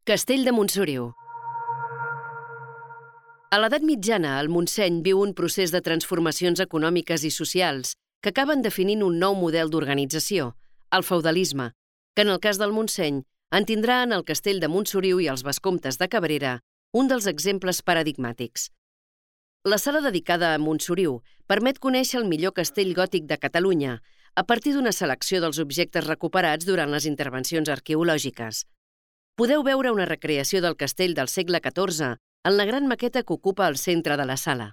Castell de Montsoriu. A l'edat mitjana, el Montseny viu un procés de transformacions econòmiques i socials que acaben definint un nou model d'organització, el feudalisme, que en el cas del Montseny en tindrà en el Castell de Montsoriu i els vescomtes de Cabrera un dels exemples paradigmàtics. La sala dedicada a Montsoriu permet conèixer el millor castell gòtic de Catalunya a partir d'una selecció dels objectes recuperats durant les intervencions arqueològiques. Podeu veure una recreació del castell del segle XIV en la gran maqueta que ocupa el centre de la sala.